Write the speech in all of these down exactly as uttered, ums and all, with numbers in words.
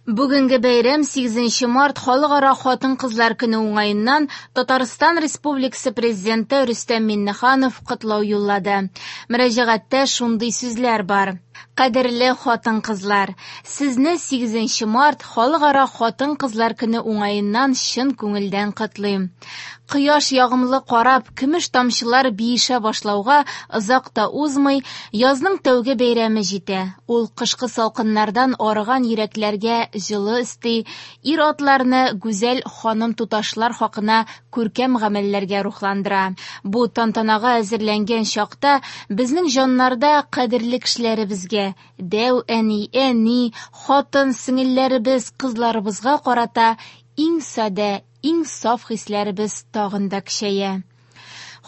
Бүгенге бәйрәм сигезенче март Халыкара хатын-кызлар көне уңаеннан Татарстан Республикасы Президенты Рөстәм Миңнеханов котлау юллады. Мөрәҗәгатьтә шундый сүзләр бар: Кадерле хатын-кызлар, сезне сигезенче март Халыкара хатын-кызлар көне уңаеннан чын күңелдән котлыйм. Кояш ягымлы карап, көмеш тамчылар биешә башлауга озак та узмый, язның тәүге бәйрәме җитә. Ул кышкы салкыннардан арыган йөрәкләргә җылы өсти, ир-атларны гүзәл ханым-туташлар хакына күркәм гамәлләргә рухландыра. Бу тантанага әзерләнгән чакта безнең җаннарда кадерле кешеләребезгә, дәү әни, әни, хатын, сеңелләребез, кызларыбызга карата иң садә, иң саф хисләребез тагын да көчәя.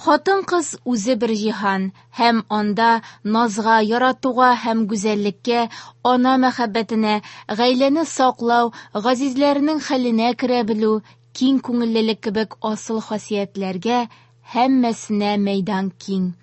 Хатын-кыз үзе бер җиһан, һәм анда назга, яратуга һәм гүзәллеккә, ана мәхәббәтенә, гаиләне саклау, газизләренең хәленә керә белү, киң күңеллелек кебек асыл хасиятләргә һәммәсенә мәйдан киң.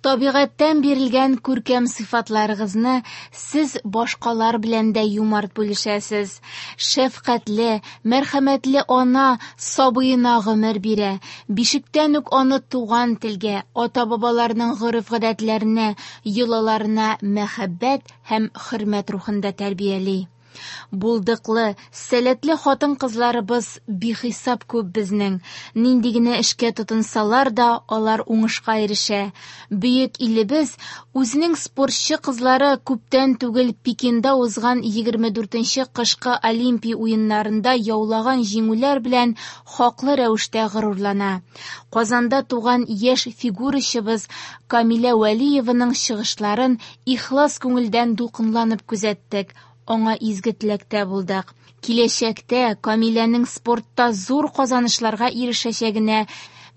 Табигатьтән бирелгән күркәм сыйфатларыгызны сез башкалар белән дә юмарт бүлешәсез. Шәфкатьле, мәрхәмәтле ана сабыена гомер бирә. Бишектән үк аны туган телгә, ата-бабаларның гореф-гадәтләренә, йолаларына мәхәббәт һәм хөрмәт рухында тәрбияли. Булдыклы, сәләтле хатын-кызларыбыз бихисап күп безнең. Нинди генә эшкә тотынсалар да, алар уңышка ирешә. Бөек илебез үзенең спортчы кызлары күптән түгел Пекинда узган егерме дүртенче кышкы Олимпия уеннарында яулаган җиңүләр белән хаклы рәвештә горурлана. Казанда туган яшь фигурачыбыз Камилә Вәлиеваның чыгышларын ихлас күңелдән дулкынланып күзәттек. Аңа изге теләктә булдык. Киләчәктә Камиләнең спортта зур казанышларга ирешәчәгенә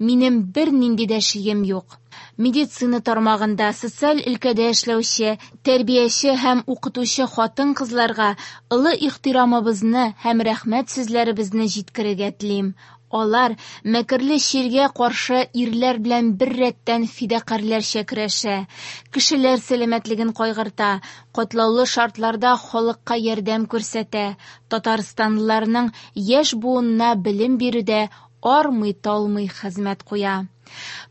минем бернинди дә шигем юк. Медицина тармагында, социаль өлкәдә эшләүче, тәрбияче һәм укытучы хатын-кызларга олы ихтирамыбызны һәм рәхмәт сүзләребезне җиткерергә телим. Алар мәкерле чиргә каршы ирләр белән бер рәттән фидакарьләрчә көрәшә, кешеләр сәламәтлеген кайгырта, катлаулы шартларда халыкка ярдәм күрсәтә, татарстанлыларның яшь буынына белем бирүдә армый-талмый хезмәт куя.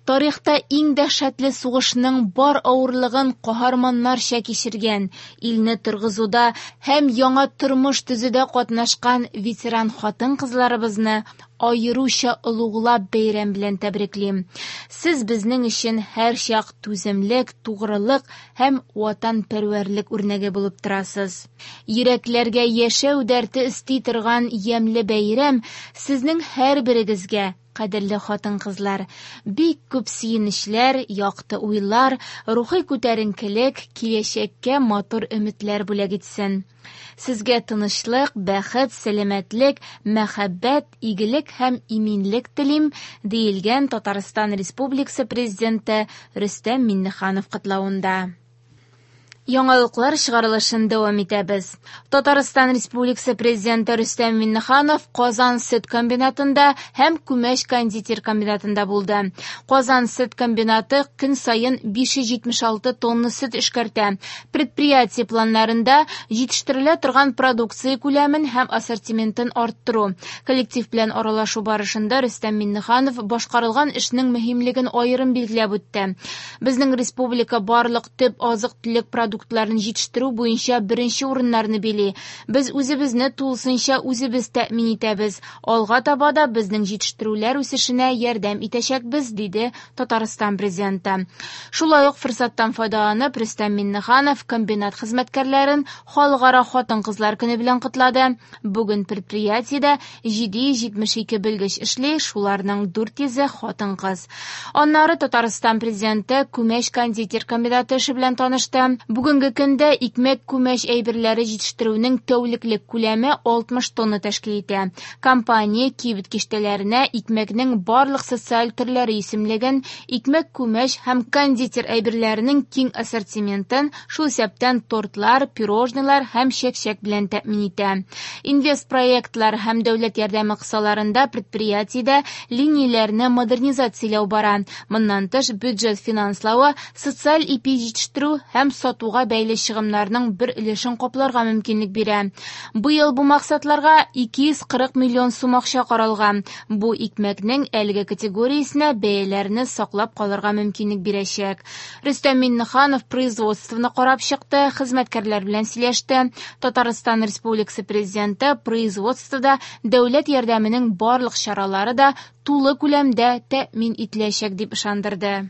Тарихта иң дәһшәтле сугышның бар авырлыгын каһарманнарча кичергән, илне торгызуда һәм яңа тормыш төзүдә катнашкан ветеран хатын-кызларыбызны аеруча олуглап бәйрәм белән тәбриклим. Сез безнең өчен һәрчак түземлек, тугрылык һәм ватанпәрвәрлек үрнәге булып торасыз. Йөрәкләргә яшәү дәрте өсти торган ямьле бәйрәм сезнең һәрберегезгә, кадерле хатын-кызлар, бик күп сөенечләр, якты уйлар, рухи күтәренкелек, киләчәккә матур өметләр бүләк итсен. Сезгә тынычлык, бәхет, сәламәтлек, мәхәббәт, игелек һәм иминлек телим, диелгән Татарстан Республикасы Президенты Рөстәм Миңнеханов котлавында. Яңалыклар чыгарылышын дәвам итәбез. Татарстан Республикасы Президенты Рөстәм Миңнеханов Казан сөт комбинатында һәм күмәч кондитер комбинатында булды. Казан сөт комбинаты көн саен биш йөз җитмеш алты тонна сөт эшкәртә. Предприятие планнарында җитештерелә торган продукция күләмен һәм ассортиментын арттыру. Коллектив белән аралашу барышында Рөстәм Миңнеханов башкарылган эшнең мөһимлеген аерым билгеләп үтте. Безнең республика барлык төп азык-төлек продуктларын продуктларын җитештерү буенча беренче урыннарны били. Без үзебезне тулысынча үзебез тәэмин итәбез. Алга таба да безнең җитештерүләр үсешенә ярдәм итәчәкбез, диде Татарстан Президенты. Шулай ук форсаттан файдаланып, Рөстәм Миңнеханов комбинат хезмәткәрләрен Халыкара хатын-кызлар көне белән котлады. Бүген предприятиедә җиде йөз җитмеш ике белгеч эшли, шуларның дүрт йөзе хатын-кыз. Аннары Татарстан Президенты күмәч кондитер комбинаты эше белән танышты. Бүгенге көндә икмәк күмәч әйберләре җитештерүнең тәүлеклек күләме алтмыш тонна тәшкил итә. Компания кибет киштәләренә икмәкнең барлык социаль төрләре исемлеген, икмәк күмәч һәм кондитер әйберләренең киң ассортиментын, шул исәптән тортлар, пирожныйлар һәм чәкчәк белән тәэмин итә. Инвестпроектлар һәм дәүләт ярдәме кысаларында предприятиедә линияләрне модернизацияләү бара. Моннан тыш бюджет финанславы социаль ипи җитештерү һәм сатуга алуга бәйле чыгымнарның бер өлешен капларга мөмкинлек бирә. Быел бу максатларга ике йөз кырык миллион сум акча каралган. Бу икмәкнең әлеге категориясенә бәяләрне саклап калырга мөмкинлек бирәчәк. Рөстәм Миңнеханов производствоны карап чыкты, хезмәткәрләр белән сөйләште. Татарстан Республикасы Президенты производствода дәүләт ярдәменең барлык чаралары да тулы күләмдә тәэмин ителәчәк дип ышандырды.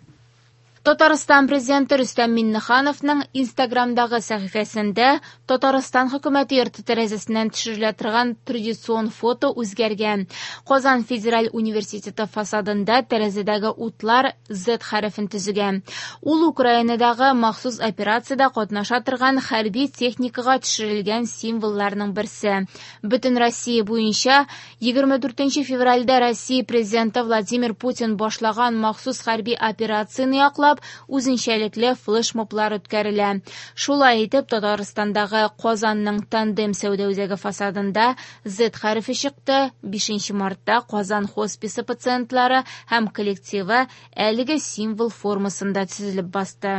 Татарстан Президенты Рөстәм Миңнехановның Инстаграмдагы сәхифәсендә Татарстан хөкүмәте йорты тәрәзәсеннән төшерелә торган традицион фото үзгәргән. Казан федераль университеты фасадында тәрәзәдәге утлар Z хәрефен төзегән. Ул Украинадагы махсус операциядә катнаша торган хәрби техникага төшерелгән символларның берсе. Бөтен Россия буенча егерме дүртенче февральдә Россия Президенты Владимир Путин башлаган махсус хәрби операцияне яклап үзенчәлекле флешмоблар үткәрелә. Шулай итеп, Татарстандагы Казанның тандем сәүдә үзәге фасадында Z хәрефе чыкты. Бишенче мартта Казан хосписы пациентлары һәм коллективы әлеге символ формасында төзелеп басты.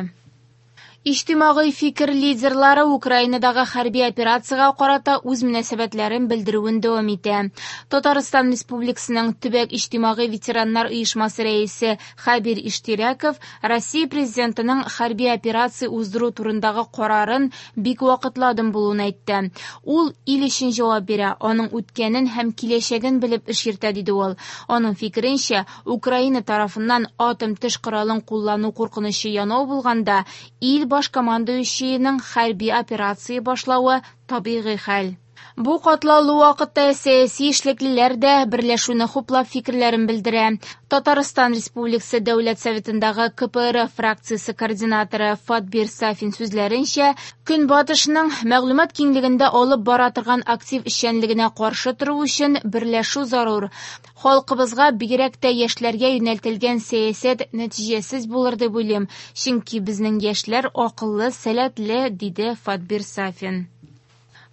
Иҗтимагый фикер лидерлары Украинадагы хәрби операциягә карата үз мөнәсәбәтләрен белдерүен дәвам итә. Татарстан Республикасының төбәк иҗтимагый ветераннар оешмасы рәисе Хәбир Иштирәков Россия Президентының хәрби операция уздыру турындагы карарын бик вакытлы адым булуын әйтте. Ул ил өчен җавап бирә, аның үткәнен һәм киләчәген белеп эш йөртә, диде ул. Аның фикеренчә, Украина тарафыннан атом төш коралын куллану куркынычы янау булганда, ил баш командующийның хәрби операция башлавы табигый хәл. Бу катлаулы вакытта сәяси эшлеклеләр дә берләшүне хуплап фикерләрен белдерә. Татарстан Республикасы Дәүләт Советындагы К П Р фракциясе координаторы Фатбир Сафин сүзләренчә, Көнбатышның мәгълүмат киңлегендә алып бара торган актив эшчәнлегенә каршы тору өчен берләшү зарур. Халкыбызга, бигрәк тә яшьләргә юнәлтелгән сәясәт нәтиҗәсез булыр дип уйлыйм, чөнки безнең яшьләр акыллы, сәләтле, диде Фатбир Сафин.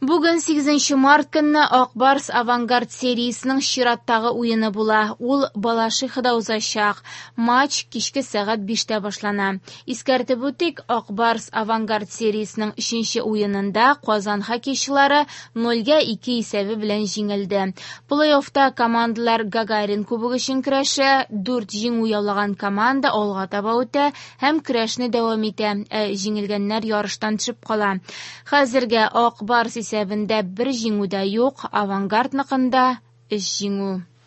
Бүген сигезенче март көнне Ак Барс Авангард сериясенең чираттагы уены була. Ул Балашихада узачак. Матч кичке сәгать биштә башлана. Искәртеп үтик, Ак Барс Авангард сериясенең өченче уенында Казан хоккейчылары нольгә ике исәбе белән җиңелде. Плей-оффта командалар Гагарин кубогы өчен көрәшә. Дүрт җиңү яулаган команда алга таба үтә һәм көрәшне дәвам итә. Ә җиңелгәннәр ярыштан төшеп кала. Хәзергә Ак Барс исәбендә бер җиңү дә юк, Авангардныкында өч җиңү.